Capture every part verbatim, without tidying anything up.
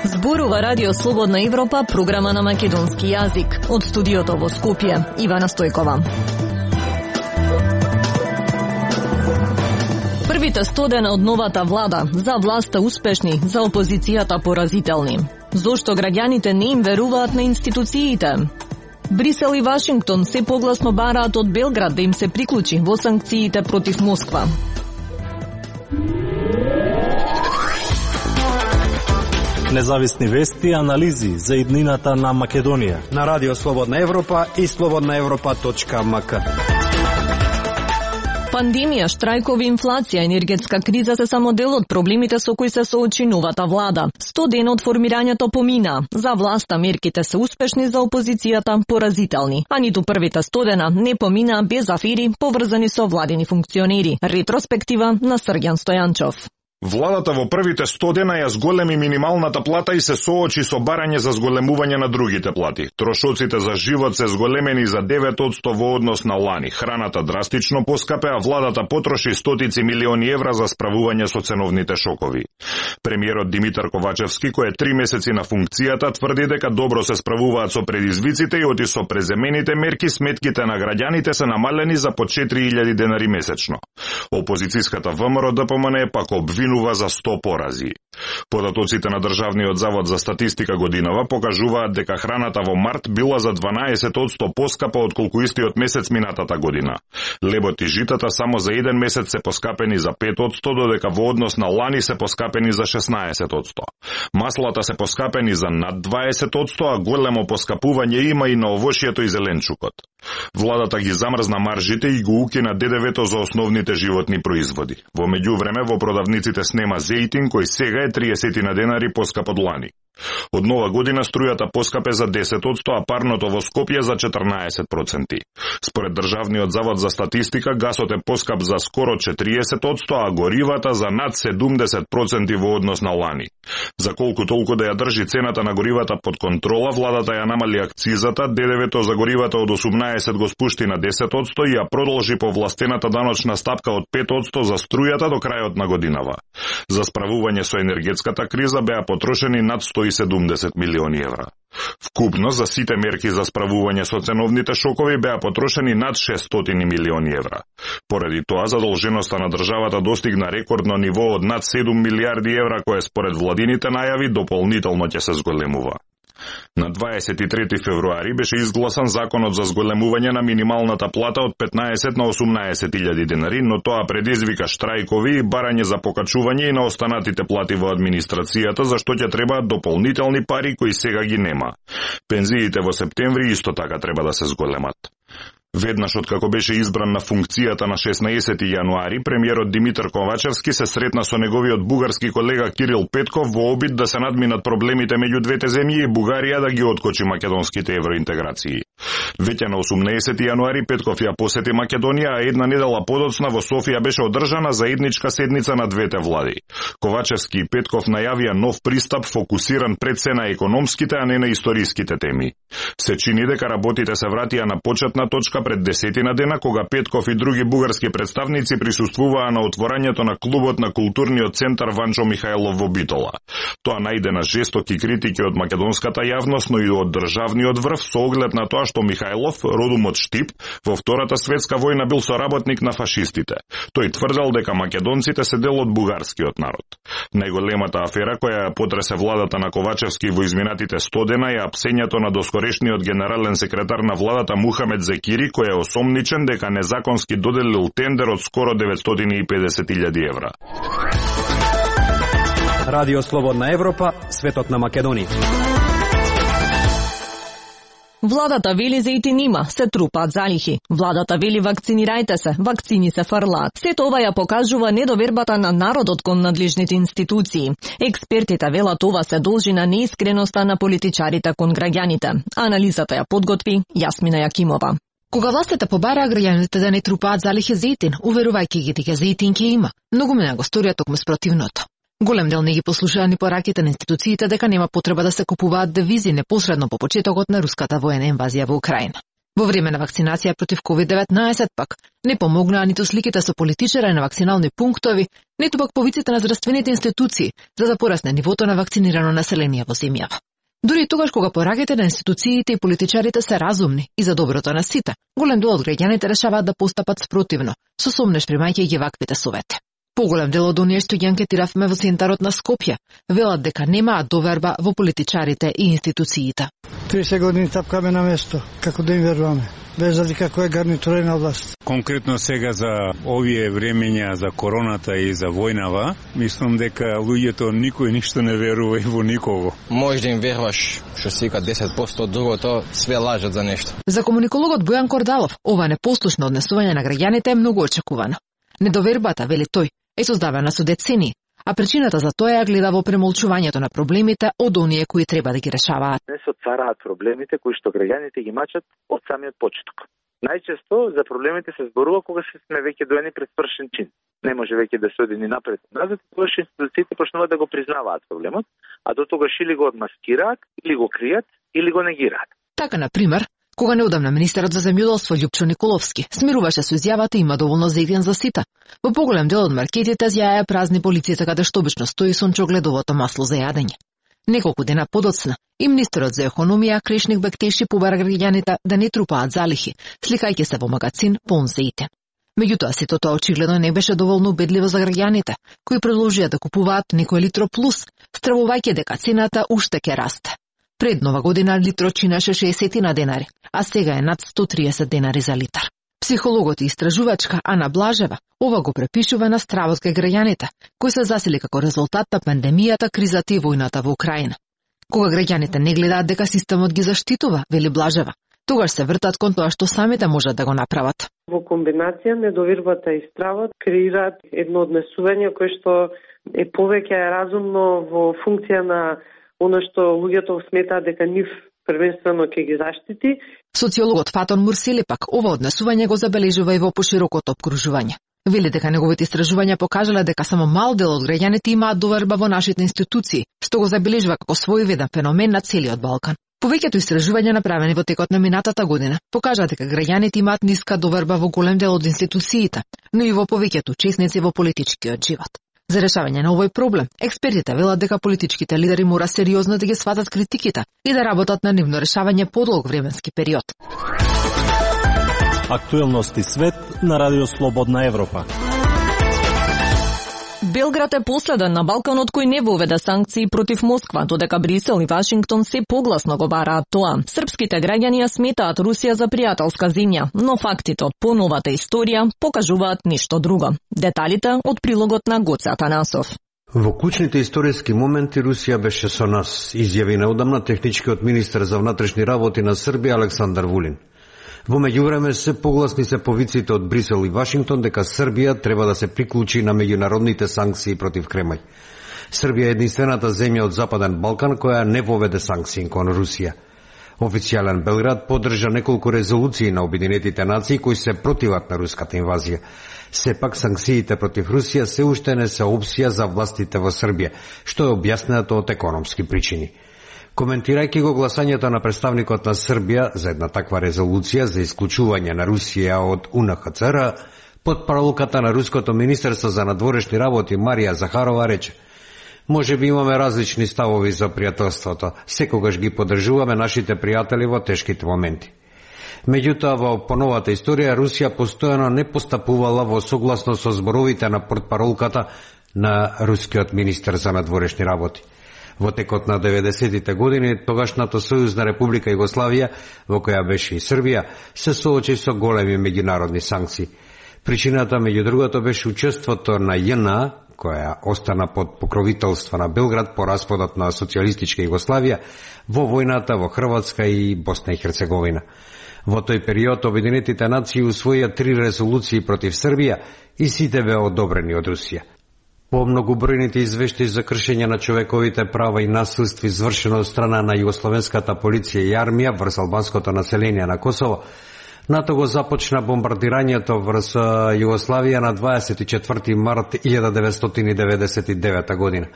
Зборува Радио Слободна Европа, програма на македонски јазик. Од студиото во Скопје, Ивана Стојкова. Првите сто дена од новата влада, за власта успешни, за опозицијата поразителни. Зошто граѓаните не им веруваат на институциите? Брисел и Вашингтон се погласно бараат од Белград да им се приклучи во санкциите против Москва. Независни вести и анализи за иднината на Македонија на Радио Слободна Европа и слободна европа точка ем ка. Пандемија, штрајкови, инфлација, енергетска криза се само дел од проблемите со кои се соочи новата влада. сто дена од формирањето помина. За власта мерките се успешни, за опозицијата поразителни. А ниту првите сто дена не помина без афери поврзани со владини функционери. Ретроспектива на Срѓан Стојанчов. Владата во првите сто дена ја зголеми минималната плата и се соочи со барање за зголемување на другите плати. Трошоците за живот се зголемени за девет одсто во однос на лани. Храната драстично поскапе, а владата потроши стотици милиони евра за справување со ценовните шокови. Премиерот Димитар Ковачевски, кој е три месеци на функцијата, тврди дека добро се справуваат со предизвиците и оти со преземените мерки сметките на граѓаните се намалени за по четири илјади денари месечно. Опозицијската ВМРО Д П М Н пак обвинува за сто порази. Податоците на Државниот завод за статистика годинава покажуваат дека храната во март била за дванаесет одсто поскапа од колку истиот месец минатата година. Лебот и житата само за еден месец се поскапени за пет одсто, додека во однос на лани се поскапени за шеснаесет одсто. Маслата се поскапени за над дваесет одсто, а големо поскапување има и на овошјето и зеленчукот. Владата ги замрзна маржите и го укина Д Д В-то за основните животни производи. Во меѓувреме во продавниците снема зејтин, кој сега е триесет на денари поскап од лани. Од нова година струјата поскапе за десет одсто, а парното во Скопје за четрнаесет проценти. Според Државниот завод за статистика, гасот е поскап за скоро четириесет одсто, а горивата за над седумдесет проценти во однос на лани. За колку толку да ја држи цената на горивата под контрола, владата ја намали акцизата, Д Д В-то за горивата од осумнаесет го спушти на десет одсто и ја продолжи повластената даночна стапка од пет одсто за струјата до крајот на годинава. За справување со енергетската криза беа потрошени над сто и седумдесет милиони евра. Вкупно за сите мерки за справување со ценовните шокови беа потрошени над шестстотини милиони евра. Поради тоа, задолженоста на државата достигна рекордно ниво од над седум милиарди евра, кое според владините најави дополнително ќе се зголемува. На дваесет и трети февруари беше изгласан законот за зголемување на минималната плата од петнаесет на осумнаесет илјади денари, но тоа предизвика штрајкови и барање за покачување и на останатите плати во администрацијата, за што ќе требаат дополнителни пари кои сега ги нема. Пензиите во септември исто така треба да се зголемат. Веднаш откако беше избран на функцијата на шеснаесети јануари, премиерот Димитар Ковачевски се сретна со неговиот бугарски колега Кирил Петков во обид да се надминат проблемите меѓу двете земји и Бугарија да ги откочи македонските евроинтеграции. Веќе на осумнаесети јануари Петков ја посети Македонија, а една недела подоцна во Софија беше одржана заедничка седница на двете влади. Ковачевски и Петков најавија нов пристап фокусиран пред се на економските, а не на историските теми. Се чини дека работите се вратија на почетна точка пред десетина дена, кога Петков и други бугарски представници присуствуваа на отворањето на клубот на културниот центар Ванчо Михајлов во Битола. Тоа најде на жестоки критики од македонската јавност, но и од државниот врв со оглед на тоа што Михајлов, родом од Штип, во Втората светска војна бил соработник на фашистите. Тој тврдел дека македонците се дел од бугарскиот народ. Најголемата афера која ја потресе владата на Ковачевски во изминатите сто дена е апсењето на доскорешниот генерален секретар на владата Мухамед Зекири, кој е осомничен дека незаконски доделил тендер од скоро деветстотини и педесет илјади евра. Радио Слободна Европа, светот на Македонија. Владата вели зејтин има, се трупаат залихи. Владата вели вакцинирајте се, вакцини се фрлаат. Сето ова ја покажува недовербата на народот кон надлежните институции. Експертите велат ова се должи на неискреноста на политичарите кон граѓаните. Анализата ја подготви Јасмина Јакимова. Кога властите побараа граѓаните да не трупаат залихи зејтин, уверувајќи ги дека зејтин ќе има, многу мене го сторија токму спротивното. Голем дел не ги послушаа ни пораките на институциите дека нема потреба да се купуваат девизи непосредно по почетокот на руската воена инвазија во Украина. Во време на вакцинација против ковид деветнаесет пак не помогнаа ниту сликите со политичари на вакцинални пунктови, ниту пак повиците на здравствените институции за да порасне нивото на вакцинирано население во земјава. Дури и тогаш кога пораките на институциите и политичарите се разумни и за доброто на сите, голем дел од граѓаните решаваат да постапат спротивно, со сомнеш примајќи ги ваквите совети. Поголем дел од оние што ги анкетиравме во центарот на Скопје велат дека немаат доверба во политичарите и институциите. триесет години тапкаме на место, како да им веруваме, без разлика кој е гарнитура на власт. Конкретно сега за овие времења за короната и за војнава, мислам дека луѓето никој ништо не верува и во никого. Може да им веруваш што си вика десет проценти од другото, све лажат за нешто. За комуникологот Бојан Кордалов, ова непослушно однесување на граѓаните е многу очекувано. Недовербата, вели тој, е создавана со децени, а причината за тоа ја гледа во премолчувањето на проблемите од оние кои треба да ги решаваат. Не се отвараат проблемите кои што граѓаните ги мачат од самиот почеток. Најчесто за проблемите се зборува кога се сме веќе доени пред свршен чин. Не може веќе да се оди ни напред назад, тогаш институциите почнуваат да го признаваат проблемот, а до тогаш или го одмаскираат, или го кријат, или го негираат. Така, на пример, кога неодамна министерот за земјоделство Љупчо Николовски смируваше со изјавата има доволно зетен за сите. Во поголем дел од маркетите зјаја празни полицијата каде што обично стои сончогледовото масло за јадење. Неколку дена подоцна и министерот за економија Крешник Бектеши побара граѓаните да не трупаат залихи, сликајќи се во магазин полн зејтен. Меѓутоа, сето тоа очигледно не беше доволно убедливо за граѓаните, кои продолжија да купуваат некој литро плюс, стравувајќи дека цената уште ќе расте. Пред нова година литро чинеше шеесет денари, а сега е над сто триесет денари за литар. Психологот и истражувачка Ана Блажева ова го препишува на стравот кај граѓаните, кој се засили како резултат на пандемијата, кризата и војната во Украина. Кога граѓаните не гледаат дека системот ги заштитува, вели Блажева, тогаш се вртат кон тоа што самите можат да го направат. Во комбинација недовербата и стравот креираат едно однесување кое што е повеќе разумно во функција на оно што луѓето сметаат дека нив првенствено ќе ги заштити. Социологот Фатон Мурсели пак ова однесување го забележува и во поширокото опкружување. Вели дека неговите истражувања покажале дека само мал дел од граѓаните имаат доверба во нашите институции, што го забележува како своевиден феномен на целиот Балкан. Повеќето истражувања направени во текот на минатата година покажаа дека граѓаните имаат ниска доверба во голем дел од институциите, но и во повеќето учесници во политичкиот живот. За решавање на овој проблем, експертите велат дека политичките лидери мора сериозно да ги сватат критиките и да работат на нивно решавање подолг временски период. Актуелности свет на Радио Слободна Европа. Белград е последен на Балканот кој не воведе санкции против Москва, додека Брисел и Вашингтон се погласно го бараат тоа. Српските граѓани ја сметаат Русија за пријателска земја, но фактите од поновата историја покажуваат ништо друго. Деталите од прилогот на Гоце Атанасов. Во клучните историски моменти Русија беше со нас, изјави неодамна техничкиот министер за внатрешни работи на Србија Александар Вулин. Во меѓувреме се погласни се повиците од Брисел и Вашингтон дека Србија треба да се приклучи на меѓународните санкции против Кремљ. Србија е единствената земја од Западен Балкан која не воведе санкции кон Русија. Официјален Белград поддржа неколку резолуции на Обединетите нации кои се противат на руската инвазија. Сепак санкциите против Русија се уште не се опција за властите во Србија, што е објаснето од економски причини. Коментирајќи го гласањето на представникот на Србија за една таква резолуција за исклучување на Русија од У Н Х Ц Р, под паролката на Руското министерство за надворешни работи Марија Захарова рече: може би имаме различни ставови за пријателството, секогаш ги поддржуваме нашите пријатели во тешките моменти. Меѓутоа, во поновата историја, Русија постојано не постапувала во согласно со зборовите на портпаролката на рускиот министер за надворешни работи. Во текот на деветдесетите години, тогашната Сојузна република Југославија, во која беше и Србија, се соочи со големи меѓународни санкции. Причината, меѓу другото, беше учеството на Ја Н А, која остана под покровителство на Белград по распадот на социјалистичка Југославија, во војната во Хрватска и Босна и Херцеговина. Во тој период Обединетите нации усвоија три резолуции против Србија и сите беа одобрени од Русија. По многобројните извештаи за кршење на човековите права и насилство извршено од страна на југословенската полиција и армија врз албанското население на Косово, НАТО го започна бомбардирањето врз Југославија на дваесет и четврти март илјада деветстотини деветдесет и девета година.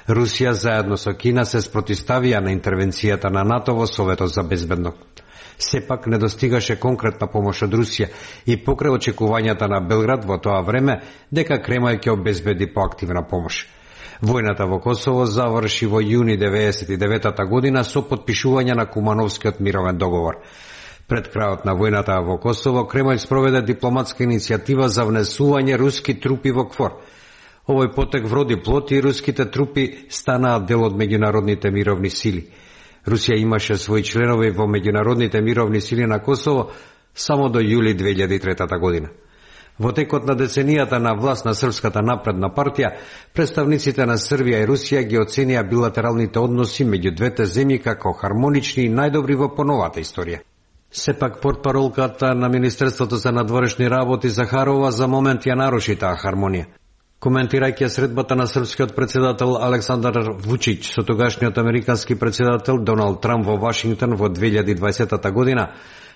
Русија заедно со Кина се спротивставија на интервенцијата на НАТО во Советот за безбедност. Сепак не достигаше конкретна помош од Русија и покрај очекувањата на Белград во тоа време дека Кремљ ќе обезбеди поактивна помош. Војната во Косово заврши во јуни деветдесет и девета година со потпишување на Кумановскиот мировен договор. Пред крајот на војната во Косово, Кремљ спроведе дипломатска иницијатива за внесување руски трупи во КФОР. Овој потек вроди плод и руските трупи станаа дел од меѓународните мировни сили. Русија имаше своји членови во меѓународните мировни сили на Косово само до јули две илјади и трета година. Во текот на деценијата на власт на Српската напредна партија, представниците на Србија и Русија ги оценија билатералните односи меѓу двете земји како хармонични и најдобри во поновата историја. Сепак портпаролката на Министерството за надворешни работи Захарова за момент ја наруши таа хармонија. Коментирајќи средбата на српскиот председател Александар Вучиќ со тогашниот американски председател Доналд Трамп во Вашингтон во две илјади и дваесета година,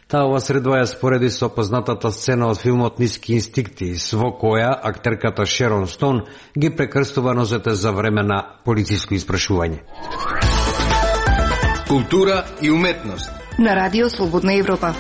таа ова средба ја спореди со познатата сцена од филмот Ниски инстинкти, во која актерката Шерон Стоун ги прекрстува нозете за време на полициско испрашување. Култура и уметност на Радио Слободна Европа.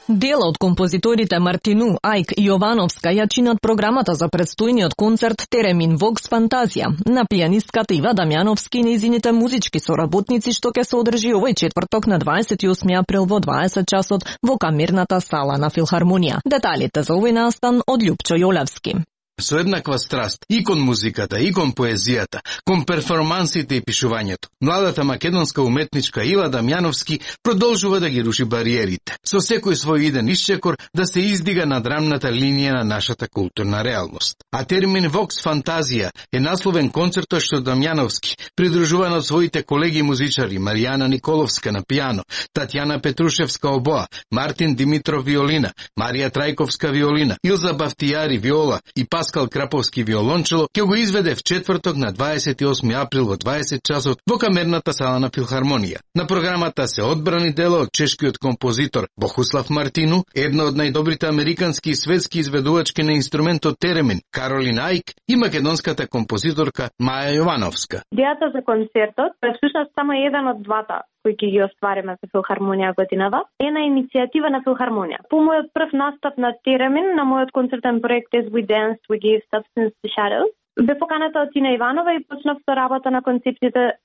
Дел од композиторите Мартину, Ајк и Јовановска ја чинат програмата за предстојниот концерт Теремин Вокс Фантазија на пијанистката Ива Дамјановски и нејзините музички соработници, што ќе се одржи овој четврток на дваесет и осми април во дваесет часот во камерната сала на Филхармонија. Деталите за овој настан од Љупчо Јолевски. Со еднаква страст и кон музиката, и кон поезијата, кон перформансите и пишувањето, младата македонска уметничка Ива Дамјановски продолжува да ги руши бариерите, со секој свој иден исчекор да се издига над рамната линија на нашата културна реалност. А термин Вокс Фантазија е насловен концертот што Дамјановски, придружуван од своите колеги музичари Маријана Николовска на пијано, Татјана Петрушевска обоа, Мартин Димитров виолина, Марија Трајковска виолина, Илза Бафтијари виола и Паскал Краповски виолончело, ќе го изведе в четврток на дваесет и осми април во дваесет часот во камерната сала на Филхармонија. На програмата се одбрани дела од чешкиот композитор Бохуслав Мартину, една од најдобрите американски и светски изведувачки на инструментот теремин Каролин Ајк и македонската композиторка Маја Јовановска. Идејата за концертот е всушност само еден од двата кои ќе ги оствариме со Филхармонија годинава, е на иницијатива на Филхармонија. По мојот прв настап на Теремин, на мојот концертен проект As We Dance, We Gave Substance to Shadows, бе поканата од Тина Иванова и почнав со работа на концепциите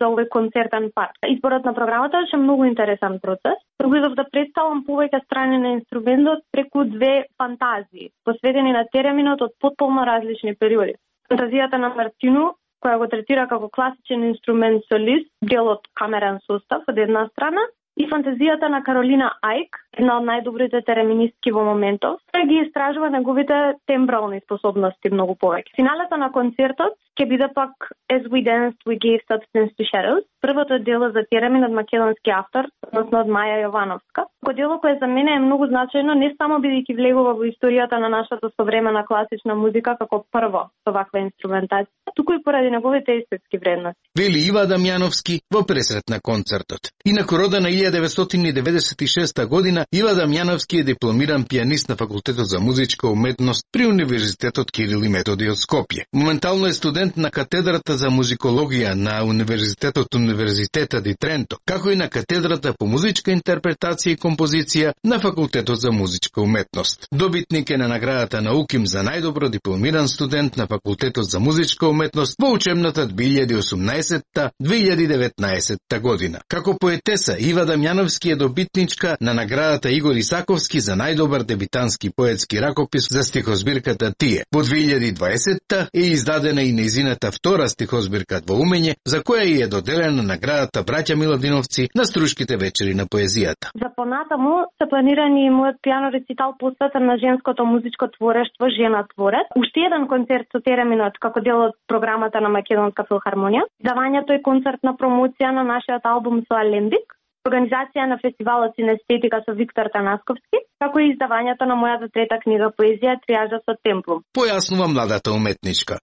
за овој концертен парк. Изборот на програмата беше многу интересен процес. Пробував да представам повеќе страни на инструментот преку две фантазии, посветени на Тереминот од потполно различни периоди. Фантазијата на Мартину, која го третира како класичен инструмент солист, дел од камерен состав од една страна, и фантазијата на Каролина Ајк, една од најдобрите тереминистки во моментов, која ги истражува неговите тембрални способности многу повеќе. Финалата на концертот ќе биде пак As We Danced, We Gave Substance to Shadows, првото дело за теремин од македонски автор, односно од Маја Јовановска. Ко дело кое за мене е многу значајно, не само бидејќи влегува во историјата на нашата современа класична музика како прво со ваква инструментација, туку и поради неговите естетски вредности. Вели Ива Дамјановски во пресрет на концертот. Инаку родена илјада деветстотини деветдесет и шеста година, Ива Дамјановски е дипломиран пијанист на Факултетот за музичка уметност при Универзитетот Кирил и Методи од Скопје. Моментално е студент на катедрата за музикологија на Универзитетот Универзитета ди Тренто, како и на катедрата по музичка интерпретација и композиција на Факултетот за музичка уметност. Добитник е на наградата на УКИМ за најдобро дипломиран студент на Факултетот за музичка уметност во учебната две илјади и осумнаесетта - две илјади и деветнаесетта година. Како поетеса, Ива Дамјановски е добитничка на наградата Игор Исаковски за најдобар дебитански поетски ракопис за стихозбирката Тие. Во две илјади и дваесетта е издадена и нејзината втора стихозбирка Во умење, за која и е доделена наградата Браќа Миладиновци на Струшките вечери на поезијата. За понатаму се планирани и мојот пијано рецитал посветен на женското музичко творештво Жена творец. Уште еден концерт со тереминот како дел од програмата на Македонска филхармонија. Давањето е концертна промоција на нашиот албум со Алембик, организација на фестивалот Синестетика со Виктор Танасковски, како и издавањето на мојата трета книга поезија Триажа со темплум. Појаснува младата уметничка.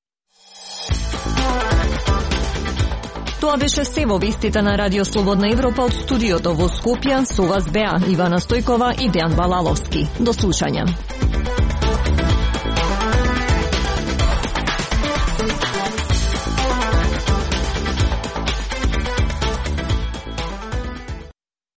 Тоа беше се во вестите на Радио Слободна Европа од студиото во Скопје. Со вас беа Ивана Стојкова и Дејан Балаловски. До слушање.